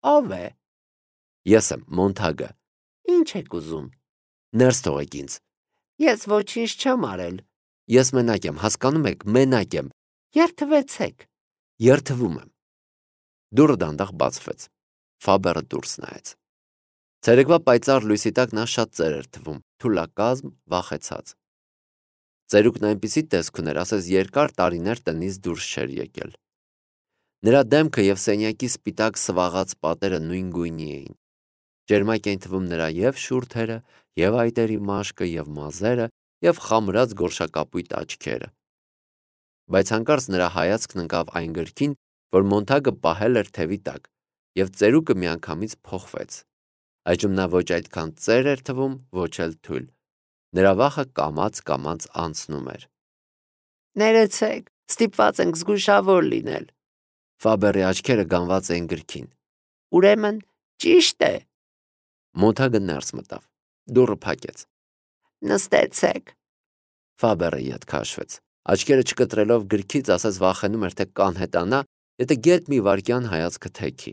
Ով է։ Ես եմ Մոնթագը։ Ինչ եք ուզում։ Ներս թողեք ինձ։ Ես ոչինչ չեմ արել։ Ես մենակ եմ, հասկանում եք, մենակ եմ։ Երթվեցեք։ Երթվում եմ։ Դուռը դանդաղ բացվեց։ Ֆաբերը դուրս նայեց։ Ցերեկվա պայծառ լույսի տակ նա շատ ծեր էր թվում, թուլակազմ, վախեցած։ Ծերուկն այնպիսի տեսք ուներ, ասես երկար տարիներ տնից դուրս չէր եկել։ Նրա դեմքը և սենյակի սպիտակ սվաղած պատերը նույն գույնի էին։ Ջերմակ էին թվում նրա և շուրթերը, և այտերի մաշկը, և մազերը, և խամրած գորշակապույտ աչքերը։ Բայց հանկարծ նրա հայացքն ընկավ այն գրքին, որ Մոնթագը պահել էր թևի տակ, և ծերուկը միանգամից փոխվեց։ Այժմ նա ոչ այդքան ծեր էր թվում, ոչ էլ թույլ։ Նրա վախը կամաց անցնում էր։ Ներեցեք, ստիպված ենք զգուշավոր լինել։ Ֆաբերի աչքերը գանված էին գրքին։ Ուրեմն ճիշտ է։ Մոնթագը ներս մտավ։ Դուռը փակեց։ Նստեցեք։ Ֆաբերը ետ քաշվեց։ Աչքերը չկտրելով գրքից, ասես վախենում էր, թե կանհետանա, եթե գեթ մի վայրկյան հայացքը թեքի։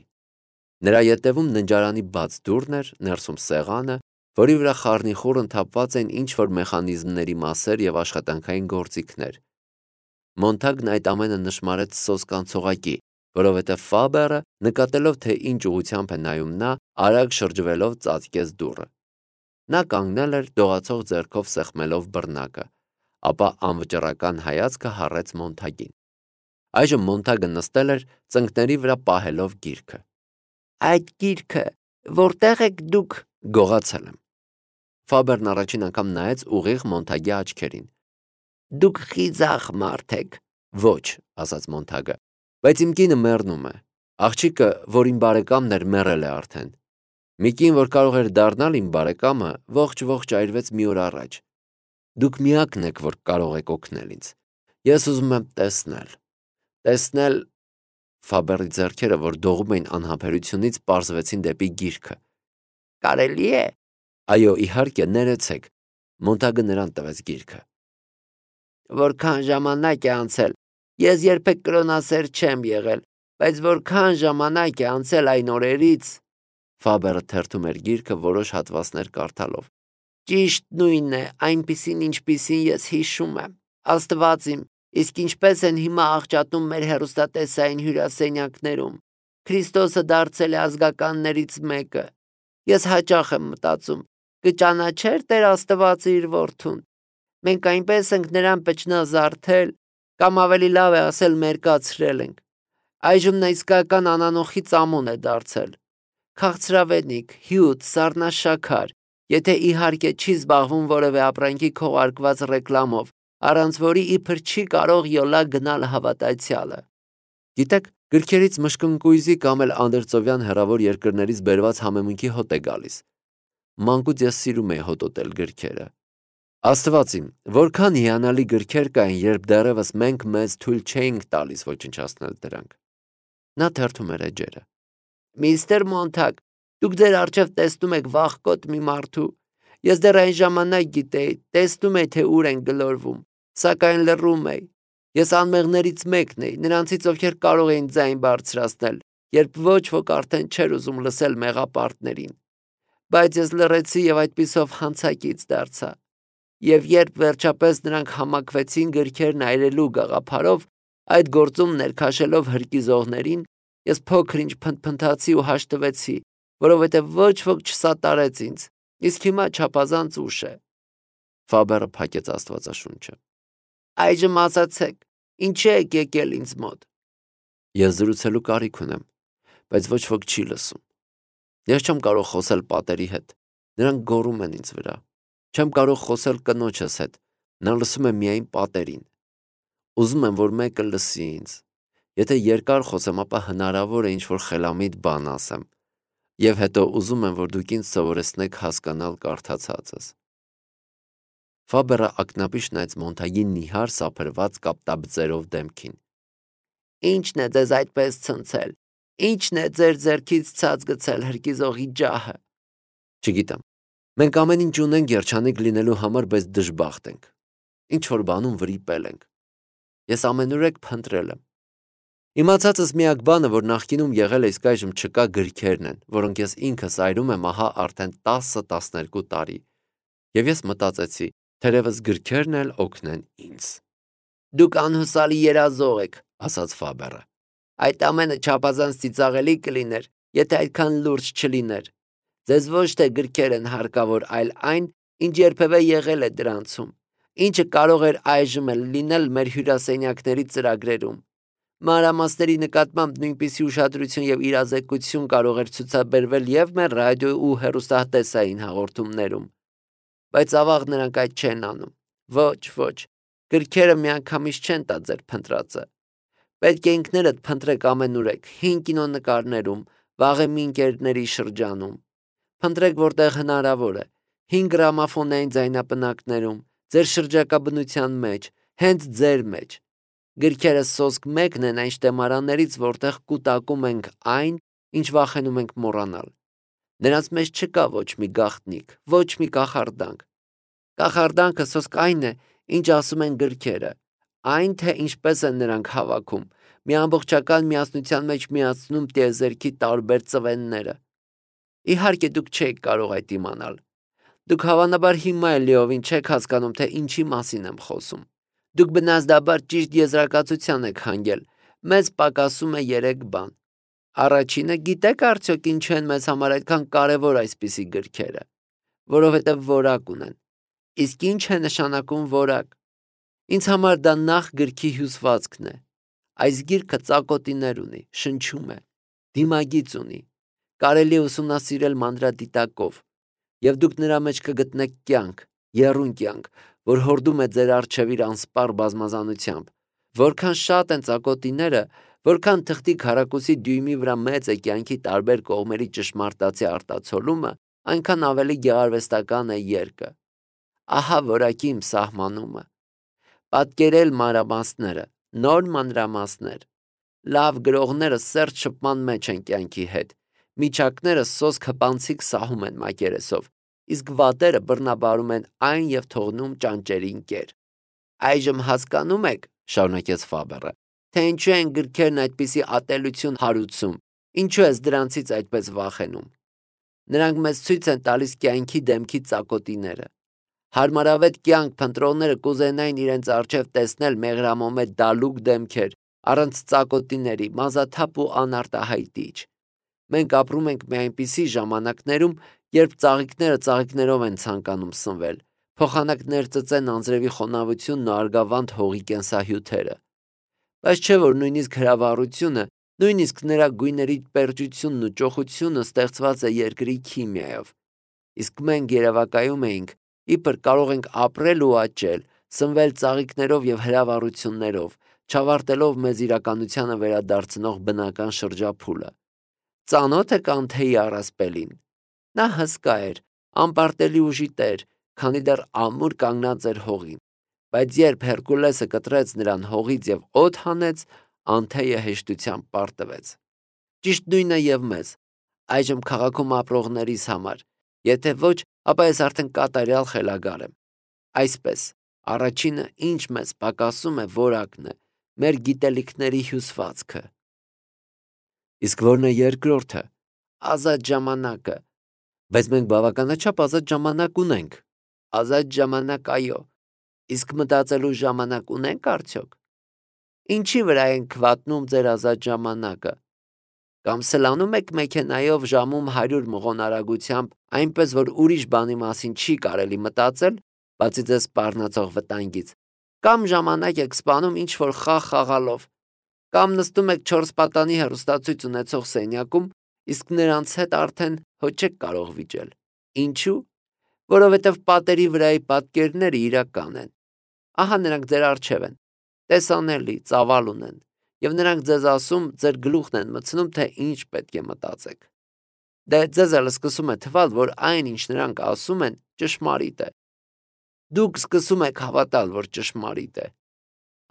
Նրա ետևում ննջարանի բաց դուռն էր, ներսում սեղանը, որի վրա խառնիխուռն թափված էին ինչ-որ մեխանիզմների մասեր և աշխատանքային գործիքներ։ Մոնթագն այդ ամենը նշմարեց սոսկանցողակի, որովհետև Ֆաբերը, նկատելով, թե ինչ ուղղությամբ է նայում նա, արագ շրջվելով ծածկեց դուռը։ Նա կանգնել էր, դողացող ձեռքով սեղմելով բռնակը, ապա անվճռական հայացքը հառեց Մոնթագին։ Այժմ Մոնթագը նստել էր, ծնկների վրա պահելով գիրքը։ Այդ գիրքը որտեղ եք դուք։ Գողացել եմ։ Ֆաբերն առաջին անգամ նայեց ուղիղ Մոնթագի աչքերին։ Դուք խիզախ մարդ եք։ Ոչ, ասաց Մոնթագը, բայց իմ կինը մեռնում է։ Աղջիկը, որ իմ բարեկամն էր, մեռել է արդեն։ Մի կին, որ կարող էր դառնալ իմ բարեկամը, ողջ այրվեց մի օր առաջ։ Դուք միակն եք, որ կարող եք օգնել ինձ։ Ես ուզում եմ տեսնել։ Ֆաբերի ձեռքերը, որ դողում էին անհամբերությունից, պարզվեցին դեպի գիրքը։ Կարելի է։ Այո, իհարկե, ներեցեք։ Մոնթագը նրան տվեց գիրքը։ Որքան ժամանակ է անցել։ Ես երբեք կրոնասեր չեմ եղել, բայց որքան ժամանակ է անցել այն օրերից։ Ֆաբերը թերթում էր գիրքը որոշ հատվածներ կարդալով։ Ճիշտ նույնն է, այնպիսին ինչպիսին ես հիշում եմ։ Աստված իմ, իսկ ինչպես են հիմա աղճատում մեր հեռուստատեսային հյուրասենյակներում։ Քրիստոսը դարձել է ազգականներից մեկը։ Ես հաճախ եմ մտածում, կճանաչեր Տեր Աստվածը իր որդուն։ Մենք այնպես ենք նրան պճնազարդել, կամ ավելի լավ է ասել մերկացրել ենք։ Այժմ նա իսկական անանոխի ծամոն է դարձել։ Քաղցրավենիք, հյութ, սառնաշաքար, եթե իհարկե չի զբաղվում որևէ ապրանքի քողարկված ռեկլամով, առանց որի իբր չի կարող յոլա գնալ հավատացյալը։ Գիտեք, գրքերից մշկնկույզի կամ էլ անդրծովյան հեռավոր երկրներից բերված համեմունքի հոտ է գալիս։ Մանկուց ես սիրում էի հոտոտել գրքերը։ Աստված իմ, որքան հիանալի գրքեր կային, երբ դեռևս մենք մեզ թույլ չէինք տալիս ոչնչացնել դրանք։ Նա թերթում էր էջերը։ Միստր Մոնթագ, դուք ձեր առջև տեսնում եք վախկոտ մի մարդու։ Ես դեռ այն ժամանակ գիտեի, տեսնում էի, թե ուր են գլորվում, սակայն լռում էի։ Ես անմեղներից մեկն էի, նրանցից, ովքեր կարող էին ձայն բարձրացնել, երբ ոչ ոք արդեն չէր ուզում լսել մեղապարտներին։ Բայց ես լռեցի և այդպիսով հանցակից դարձա։ Եվ երբ վերջապես նրանք համակվեցին գրքերն այրելու գաղափարով, այդ գործում ներքաշելով հրկիզողներին, ես փոքր-ինչ փնթփնթացի ու հաշտվեցի, որովհետև ոչ ոք չսատարեց ինձ, իսկ հիմա չափազանց ուշ է։ Ֆաբերը փակեց Աստվածաշունչը։ Այժմ ասացեք, ինչի եք եկել ինձ մոտ։ Ես զրուցելու կարիք ունեմ, բայց ոչ ոք չի լսում։ Ես չեմ կարող խոսել պատերի հետ, նրանք գոռում են ինձ վրա։ Չեմ կարող խոսել կնոջս հետ, նա լսում է միայն պատերին։ Ուզում եմ, որ մեկը լսի ինձ։ Եթե երկար խոսեմ, ապա հնարավոր է ինչ-որ խելամիտ բան ասեմ։ Եվ հետո ուզում եմ, որ դուք ինձ սովորեցնեք հասկանալ կարդացածս։ Ֆաբերը ակնապիշ նայեց Մոնթագի նիհար սափրված կապտաբծերով դեմքին։ Ի՞նչն է ձեզ այդպես ցնցել։ Ի՞նչն է ձեր ձեռքից ցած գցել հրկիզողի ջահը։ Չգիտեմ։ Մենք ամեն ինչ ունենք երջանիկ լինելու համար, բայց դժբախտ ենք։ Ինչ որ բանում վրիպել ենք։ Ես ամենուրեք փնտրել եմ։ Իմացածս միակ բանը, որ նախկինում եղել է, իսկ այժմ չկա, գրքերն են, որոնք ես ինքս այրում եմ ահա արդեն 10-12 տարի։ Եվ ես մտածեցի, թերևս գրքերն էլ օգնեն ինձ։ Դուք անհուսալի երազող եք, ասաց Ֆաբերը։ այդ ամենը չափազանց ծիծաղելի կլիներ, եթե այդքան լուրջ չլիներ։ Ձեզ ոչ թե գրքեր են հարկավոր, այլ այն, ինչ երբևէ եղել է դրանցում, ինչը կարող էր այժմ էլ լինել մեր հյուրասենյակների ծրագրերում։ Մանրամասների նկատմամբ նույնպիսի ուշադրություն եւ իրազեկություն կարող էր ցուցաբերվել եւ մեր ռադիո ու հեռուստատեսային հաղորդումներում։ Բայց ավաղ նրանք այդ չեն անում։ Ոչ, գրքերը միանգամից չեն տա ձեր փնտրածը։ Պետք է ինքներդ փնտրեք ամենուրեք, հին կինոնկարներում, վաղեմի ընկերների շրջանում։ Փնտրեք որտեղ հնարավոր է, հին գրամաֆոնային ձայնապնակներում, ձեր շրջակա բնության մեջ, հենց ձեր մեջ։ Գրքերը սոսկ մեկն են այն շտեմարաններից, որտեղ կուտակում ենք այն, ինչ վախենում ենք մոռանալ։ Նրանց մեջ չկա ոչ մի գաղտնիք, ոչ մի կախարդանք։ Կախարդանքը սոսկ այն է, ինչ ասում են գրքերը, այն թե ինչպես են նրանք հավաքում, մի ամբողջական միասնության մեջ միացնում տիեզերքի տարբեր ծվենները։ Իհարկե դուք չեք կարող այդ իմանալ։ Դուք հավանաբար հիմա էլ լիովին չեք հասկանում, թե ինչի մասին եմ խոսում։ Դուք բնազդաբար ճիշտ եզրակացության եք հանգել, մեզ պակասում է 3 բան։ Առաջինը, գիտեք արդյոք ինչու են մեզ համար այդքան կարևոր այսպիսի գրքերը, որովհետև որակ ունեն։ Իսկ ինչ է նշանակում որակ։ Ինձ համար դա նախ գրքի հյուսվածքն է։ Այս գիրքը ծակոտիներ ունի, շնչում է, դիմագիծ ունի, կարելի է ուսումնասիրել մանրադիտակով, եւ դուք նրա մեջ կգտնեք կյանք, եռուն կյանք, որ հորդում է ձեր առջև իր անսպառ բազմազանությամբ։ Որքան շատ են ծակոտիները, որքան թղթի քառակուսի դյույմի վրա մեծ է կյանքի տարբեր կողմերի ճշմարտացի արտացոլումը, այնքան ավելի գեղարվեստական է երկը։ Ահա որակի իմ սահմանումը։ Պատկերել մանրամասները, նոր մանրամասներ։ Լավ գրողները սերտ շփման մեջ են կյանքի հետ։ Միջակները սոսկ հպանցիկ սահում են մակերեսով, իսկ վատերը բռնաբարում են այն եւ թողնում ճանճերին կեր։ Այժմ հասկանում եք, շարունակեց Ֆաբերը, թե ինչու են գրքերն այդպիսի ատելություն հարուցում, ինչու ես դրանցից այդպես վախենում։ Նրանք մեզ ցույց են տալիս կյանքի դեմքի ծակոտիները։ Հարմարավետ կյանք փնտրողները կուզենային իրենց առջև տեսնել մեղրամոմե դալուկ դեմքեր, առանց ծակոտիների, մազաթափ ու անարտահայտիչ։ Մենք ապրում ենք մի այնպիսի ժամանակներում, երբ ծաղիկները ծաղիկներով են ցանկանում սնվել, փոխանակ ներծծեն անձրևի խոնավությունն ու արգավանդ հողի կենսահյութերը։ Բայց չէ որ նույնիսկ հրավառությունը, նույնիսկ նրա գույների պերճությունն ու ճոխությունը ստեղծված է երկրի քիմիայով։ Իսկ մենք երևակայում էինք, իբր կարող ենք ապրել ու աճել, սնվել ծաղիկներով եւ հրավառություններով, չավարտելով մեզ իրականությանը վերադարձնող բնական շրջափուլը։ Ծանոթ եք Անթեի առասպելին։ Նա հսկա էր, անպարտելի ուժի տեր, քանի դեռ ամուր կանգնած էր հողին, բայց երբ Հերկուլեսը կտրեց նրան հողից եւ օդ հանեց, Անթեյը հեշտությամբ պարտվեց։ Ճիշտ նույնը եւ մեզ, այժմ քաղաքում ապրողներիս համար, եթե ոչ, ապա ես արդեն կատարյալ խելագար եմ։ Այսպես, առաջինը, ինչ մեզ պակասում է, որակն է, մեր գիտելիքների հյուսվածքը։ Իսկ որն է երկրորդը։ Ազատ ժամանակը։ Բայց մենք բավականաչափ ազատ ժամանակ ունենք։ Ազատ ժամանակ, այո։ Իսկ մտածելու ժամանակ ունենք արդյոք։ Ինչի վրա ենք վատնում ձեր ազատ ժամանակը։ Կամ սլանում եք մեքենայով ժամում 100 մղոն արագությամբ, այնպես որ ուրիշ բանի մասին չի կարելի մտածել, բացի ձեզ սպառնացող վտանգից։ Կամ ժամանակ եք սպանում ինչ-որ խաղ խաղալով։ Կամ նստում եք 4 պատանի հեռուստացույց ունեցող սենյակում, իսկ նրանց հետ արդեն հո չեք կարող վիճել։ Ինչու՞։ Որովհետև պատերի վրայի պատկերները իրական են։ Ահա նրանք ձեր առջև են, տեսանելի, ծավալ ունեն, եւ նրանք ձեզ ասում, ձեր գլուխն են մտցնում, թե ինչ պետք է մտածեք։ Դե ձեզ էլ սկսում է թվալ, որ այն, ինչ նրանք ասում են, ճշմարիտ է։ Դուք սկսում եք հավատալ, որ ճշմարիտ է։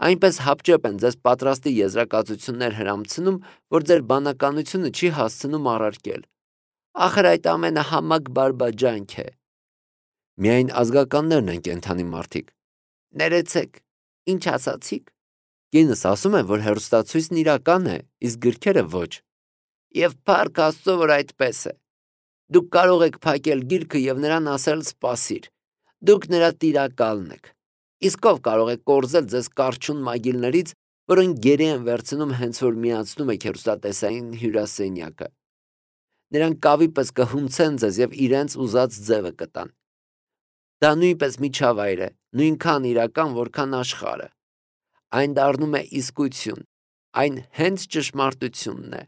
Այնպես հապճեպ են ձեզ պատրաստի եզրակացություններ հրամցնում, որ ձեր բանականությունը չի հասցնում առարկել։ Ախր այդ ամենը համակ բարբաջանք է։ Միայն ազգականներն են կենդանի մարդիկ։ Ներեցեք, ինչ ասացիք։ Կինս ասում է, որ հեռուստացույցն իրական է, իսկ գրքերը ոչ։ Եվ փառք Աստծո, որ այդպես է։ Դուք կարող եք փակել գիրքը եւ նրան ասել սպասիր։ Դուք նրա տիրակալն եք։ Իսկ ով կարող է կորզել ձեզ կարճուն մագիլներից, որոնք գերի են վերցնում հենց որ միացնում եք հեռուստատեսային հյուրասենյակը։ Նրանք կավի պես կհունցեն ձեզ եւ իրենց ուզած ձևը կտան։ Դա նույնպես միջավայր է, նույնքան իրական, որքան աշխարհը։ Այն դառնում է իսկություն, այն հենց ճշմարտությունն է։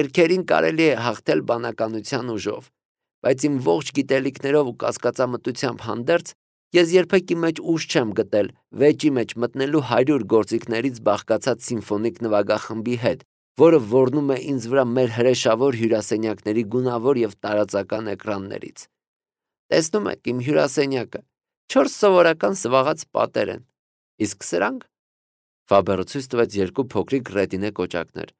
Գրքերին կարելի է հաղթել բանականության ուժով, բայց իմ ողջ գիտելիքներով ու կասկածամտությամբ հանդերձ ես երբեք իմ մեջ ուժ չեմ գտել վեճի մեջ մտնելու 100 գործիքներից բաղկացած սիմֆոնիկ նվագախմբի հետ, որը ոռնում է ինձ վրա մեր հրեշավոր հյուրասենյակների գունավոր եւ տարածական էկրաններից։ Տեսնում եք իմ հյուրասենյակը, 4 սովորական սվաղած պատեր են, իսկ սրանք Ֆաբերը ցույց տվեց 2 փոքրիկ ռետինե կոճակներ։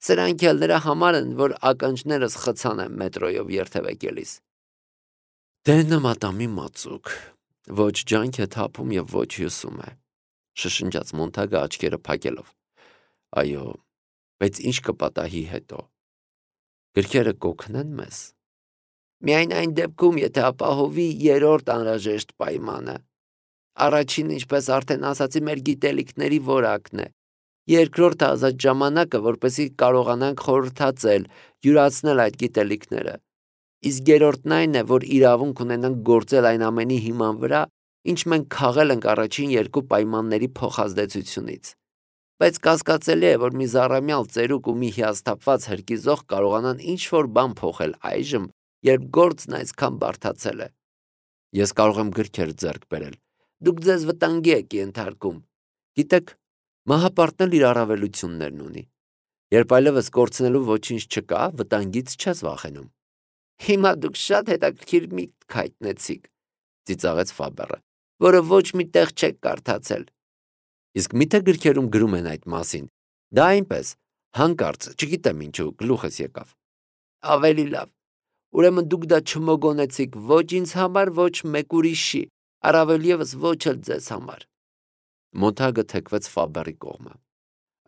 Սրանք էլ նրա համար են, որ ականջներս խցան են մետրոյով երթևեկելիս։ Դե նմատամի մածուկ, ոչ ջանք է թափում եւ ոչ հյուսում է, շշնջաց Մոնտագը աչքերը փակելով։ Այո, բայց ինչ կպատահի հետո։ Գրքերը կօգնեն մեզ։ Միայն այն դեպքում, եթե ապահովի 3-րդ անհրաժեշտ պայմանը։ Առաջին, ինչպես արդեն ասացի, մեր գիտելիքների որակն է։ Երկրորդը ազատ ժամանակը, որպեսզի կարողանանք խորհրդածել, յուրացնել այդ գիտելիքները։ Իսկ երրորդն այն է, որ իրավունք ունենանք գործել այն ամենի հիման վրա, ինչ մենք քաղել ենք առաջին 2 պայմանների փոխազդեցությունից։ Բայց կասկածելի է, որ մի զառամյալ ծերուկ ու մի հիասթափված հրկիզող կարողանան ինչ-որ բան փոխել այժմ, երբ գործն այսքան բարդացել է։ Ես կարող եմ գրքեր ձեռք բերել։ Դուք ձեզ վտանգի եք ենթարկում։ Գիտեք, մահապարտն էլ իր առավելություններն ունի։ Երբ այլևս կորցնելու ոչինչ չկա, վտանգից չես վախենում։ Հիմա դուք շատ հետաքրքիր միտք հայտնեցիք, ծիծաղեց Ֆաբերը, որը ոչ մի տեղ չեք կարդացել։ Իսկ միթե գրքերում գրում են այդ մասին։ Դա այնպես, հանկարծ, չգիտեմ ինչու, գլուխս եկավ։ Ավելի լավ։ Ուրեմն դուք դա չմոգոնեցիք ոչ ինձ համար, ոչ մեկ ուրիշի, առավել եւս ոչ էլ ձեզ համար։ Մոնտագը թեքվեց Ֆաբերի կողմը։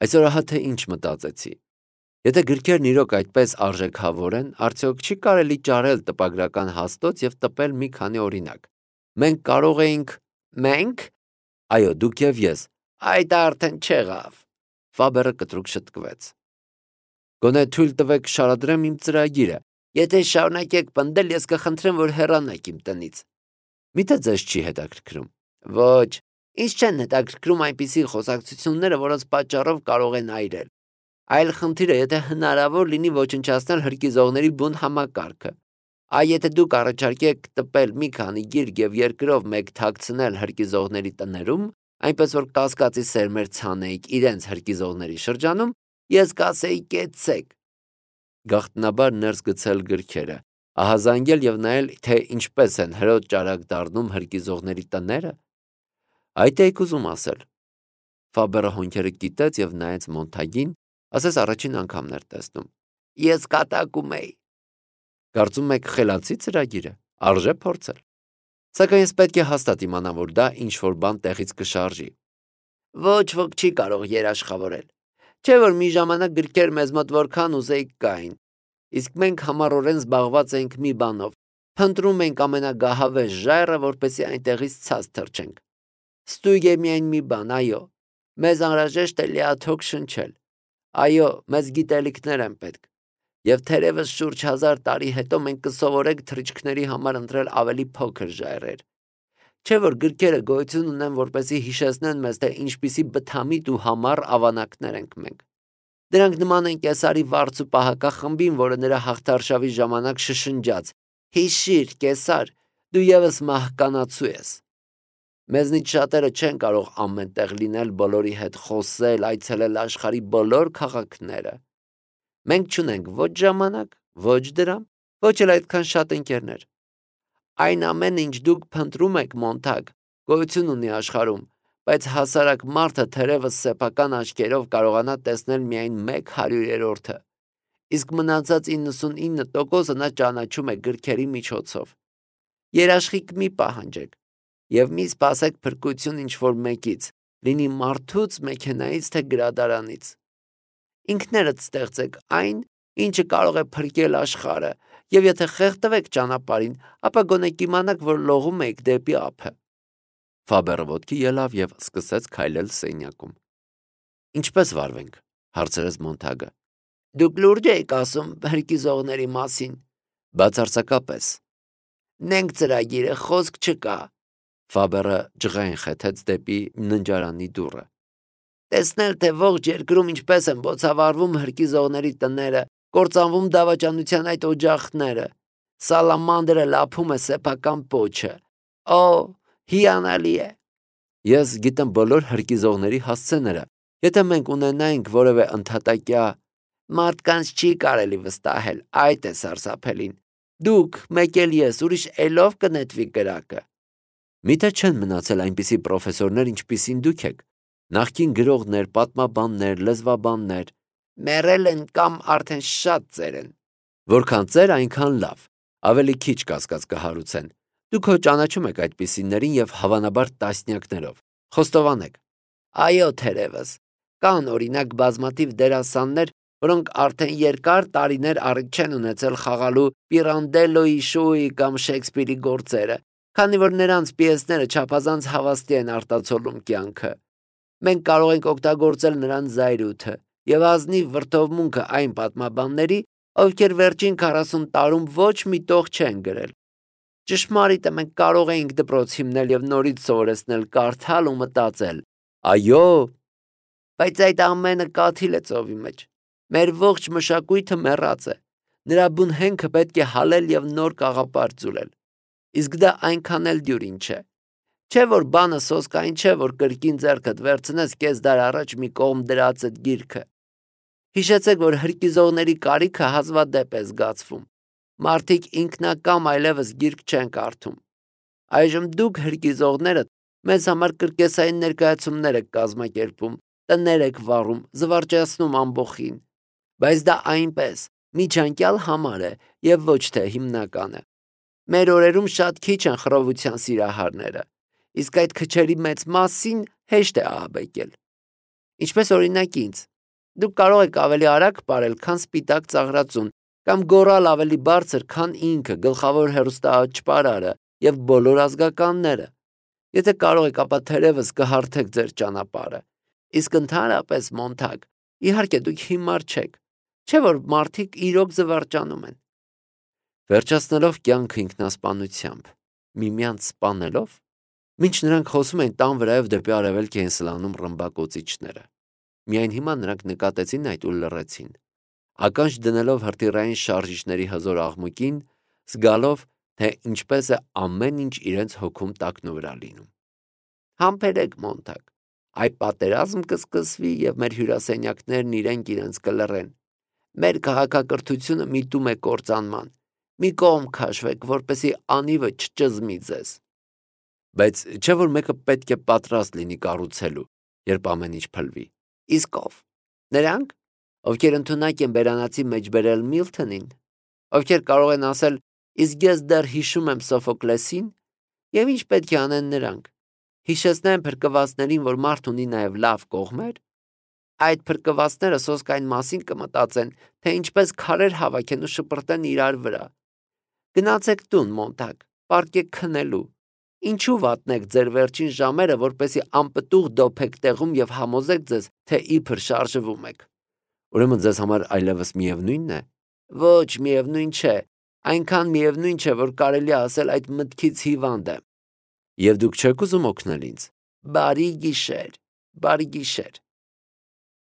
Այսօր ահա թե ինչ մտածեցի։ Եթե գրքերն իրոք այդպես արժեքավոր են, արդյոք չի կարելի ճարել տպագրական հաստոց եւ տպել մի քանի օրինակ։ Մենք կարող էինք։ Մենք։ Այո, դուք եւ ես։ Այդ արդեն չեղավ։ Ֆաբերը կտրուկ շտկվեց։ Գոնե թույլ տվեք շարադրեմ իմ ծրագիրը։ Եթե շարունակեք պնդել, ես կխնդրեմ, որ հեռանաք իմ տնից։ Միթե ձեզ չի հետաքրքրում։ Ոչ, ինձ չեն հետաքրքրում այնպիսի խոսակցությունները, որոնց պատճառով կարող են այրել։ Այլ խնդիրը, եթե հնարավոր լինի ոչնչացնել հրկիզողների բուն համակարգը։ Այ եթե դուք առաջարկեք տպել մի քանի գիրք եւ երկրով մեկ թաքցնել հրկիզողների տներում, այնպես որ կասկածի սերմեր ցանեիք իրենց հրկիզողների շրջանում, ես կասեի կեցեք։ Գաղտնաբար ներս գցել գրքերը, ահազանգել եւ նայել, թե ինչպես են հրոտ ճարակ դառնում հրկիզողների տները։ Այդ եք ուզում ասել։ Ֆաբերը հոնքերը կիտեց եւ նայեց Մոնտագին, ասես առաջին անգամն էր տեսնում։ Ես կատակում էի։ Կարծում եք խելացի ծրագիրը, արժե փորձել։ Սակայն ես պետք է հաստատ իմանամ, որ դա ինչ որ բան տեղից կշարժի։ Ոչ ոք չի կարող երաշխավորել։ Չէ որ մի ժամանակ գրքեր մեզ մոտ որքան ուզեիք կային։ Իսկ մենք համառորեն զբաղված ենք մի բանով։ Փնտրում ենք ամենագահավեժ ժայռը, որպեսզի այնտեղից ցած թռչենք։ Ստույգ է միայն մի բան, այո։ Մեզ անհրաժեշտ է լիաթոք շնչել։ Այո, մեզ գիտելիքներ են պետք։ Եվ թերևս շուրջ 1000 տարի հետո մենք կսովորենք թռիչքների համար ընտրել ավելի փոքր ժայռեր։ Չէ որ գրքերը գոյություն ունեն, որպեսզի հիշեցնեն մեզ, թե ինչպիսի բթամիտ ու համառ ավանակներ ենք մենք։ Դրանք նման են Կեսարի վարձ ու պահակախմբին, որը նրա հաղթարշավի ժամանակ շշնջաց. Հիշիր, Կեսար, դու եւս մահկանացու ես։ Մեզնից շատերը չեն կարող ամեն տեղ լինել, բոլորի հետ խոսել, այցելել աշխարհի բոլոր քաղաքները։ Մենք չունենք ոչ ժամանակ, ոչ դրամ, ոչ էլ այդքան շատ ընկերներ։ Այն ամենը, ինչ դուք փնտրում եք, Մոնտագ, գոյություն ունի աշխարհում, բայց հասարակ մարդը թերևս սեփական աչքերով կարողանա տեսնել միայն 1/100-ը։ Իսկ մնացած 99%-ը նա ճանաչում է գրքերի միջոցով։ Երաշխիք մի պահանջեք եւ մի սպասեք փրկություն ինչ-որ մեկից, լինի մարդուց, մեքենայից, թե գրադարանից։ Ինքներդ ստեղծեք այն, ինչը կարող է փրկել աշխարհը, եւ եթե խեղդվեք ճանապարհին, ապա գոնե կիմանաք, որ լողում եք դեպի ափը։ Ֆաբերը ոտքի ելավ եւ սկսեց քայլել սենյակում։ Ինչպես վարվենք, հարցրեց Մոնթագը։ Դուք լուրջ եք ասում հրկիզողների մասին։ Բացարձակապես։ Նենք ծրագիրը, խոսք չկա։ Ֆաբերը ջղային խեթեց դեպի ննջարանի դուռը։ Տեսնել, թե ողջ երկրում ինչպես են բոցավառվում հրկիզողների տները, կործանվում դավաճանության այդ օջախները։ Սալամանդրը լափում է սեփական պոչը։ Օ, հիանալի է։ Ես գիտեմ բոլոր հրկիզողների հասցեները։ Եթե մենք ունենայինք որևէ ընդհատակյա, մարդկանց չի կարելի վստահել, այդ է սարսափելին։ Դուք, մեկ էլ ես, ուրիշ էլով կնետվի կրակը։ Միթե չեն մնացել այնպիսի պրոֆեսորներ, ինչպիսին դուք եք։ Նախկին գրողներ, պատմաբաններ, լեզվաբաններ։ Մեռել են կամ արդեն շատ ծեր են։ Որքան ծեր, այնքան լավ։ Ավելի քիչ կասկած կհարուցեն։ Դուք հո ճանաչում եք այդպիսիներին եւ հավանաբար տասնյակներով։ Խոստովանեք։ Այո, թերևս։ Կան օրինակ բազմաթիվ դերասաններ, որոնք արդեն երկար տարիներ առիթ չեն ունեցել խաղալու Պիրանդելոյի շոուի կամ Շեքսպիրի գործերը, քանի որ նրանց պիեսները չափազանց հավաստի են արտացոլում կյանքը։ Մենք կարող ենք օգտագործել նրանց զայրույթը եւ ազնիվ վրդովմունքը այն պատմաբանների, ովքեր վերջին 40 տարում ոչ մի տող չեն գրել։ Ճշմարիտ է, մենք կարող էինք դպրոց հիմնել եւ նորից սովորեցնել կարդալ ու մտածել։ Այո, բայց այդ ամենը կաթիլ է ծովի մեջ։ Մեր ողջ մշակույթը մեռած է։ Նրա բուն հենքը պետք է հալել եւ նոր կաղապար ձուլել։ Իսկ դա այնքան էլ դյուրին չէ։ Չէ որ բանը սոսկային չէ, որ կրկին ձեռքդ վերցնես կես դար առաջ մի կողմ դրածդ գիրքը։ Հիշեցեք, որ հրկիզողների կարիքը հազվադեպ է զգացվում։ Մարդիկ ինքնակամ այլևս գիրք չեն կարդում։ Այժմ դուք հրկիզողներդ մեզ համար կրկեսային ներկայացումներ եք կազմակերպում, տներ եք վառում, զվարճացնում ամբոխին։ Բայց դա այնպես, միջանկյալ համար է եւ ոչ թե հիմնականը։ Մեր օրերում շատ քիչ են խռովության սիրահարները, իսկ այդ քչերի մեծ մասին հեշտ է ահաբեկել։ Ինչպես օրինակ ինձ։ Դուք կարող եք ավելի արագ ապրել, քան սպիտակ ծաղրածուն, կամ գոռալ ավելի բարձր, քան ինքը, գլխավոր հեռուստաաճպարարը եւ բոլոր ազգականները։ Եթե կարող եք, ապա թերևս կհարթեք ձեր ճանապարհը։ Իսկ ընդհանրապես, Մոնթագ, իհարկե դուք հիմար չեք, չէ՞ որ մարդիկ իրոք զվարճանում են։ Վերջացնելով կյանքը ինքնասպանությամբ, միմյանց սպանելով, մինչ նրանք խոսում են տան վրայով դեպի արևելք էին սլանում ռմբակոծիչները։ Միայն հիմա նրանք նկատեցին այդ ու լռեցին։ Ականջ դնելով հրթիռային շարժիչների հզոր աղմուկին, զգալով, թե ինչպես է ամեն ինչ իրենց հոգում տակնու վրա լինում։ Համբերեք, Մոնթագ, այ պատերազմ կսկսվի եւ մեր հյուրասենյակներն իրենց կլռեն։ Մեր քաղաքակրթությունը միտում է կործանման։ Մի կողմ քաշվեք, որպեսի անիվը չճզմի ձեզ։ Բայց չէ որ մեկը պետք է պատրաստ լինի կառուցելու, երբ ամեն ինչ փլվի։ Իսկ ով։ Նրանք, ովքեր ընդունակ են բերանացի մեջ բերել Միլթոնին, ովքեր կարող են ասել, իսկ ես դեռ հիշում եմ Սոֆոկլեսին, եւ ինչ պետք է անեն նրանք։ Հիշեցնեն փրկվածներին, որ մարդ ունի նաեւ լավ կողմեր։ Այդ փրկվածները սոսկային մասին կմտածեն, թե ինչպես քարեր հավաքեն ու շպրտեն իրար վրա։ Գնացեք տուն, Մոնթագ, պարկեք քնելու։ Ինչու վատնեք ձեր վերջին ժամերը, որպեսի անպտուղ դոփեք տեղում եւ համոզեք ձեզ, թե իբր շարժվում եք։ Ուրեմն ձեզ համար այլևս միևնույնն է։ Ոչ, միևնույն չէ։ Այնքան միևնույն չէ, որ կարելի ասել այդ մտքից հիվանդ եմ։ Եվ դուք չեք ուզում օգնել ինձ։ Բարի գիշեր, բարի գիշեր։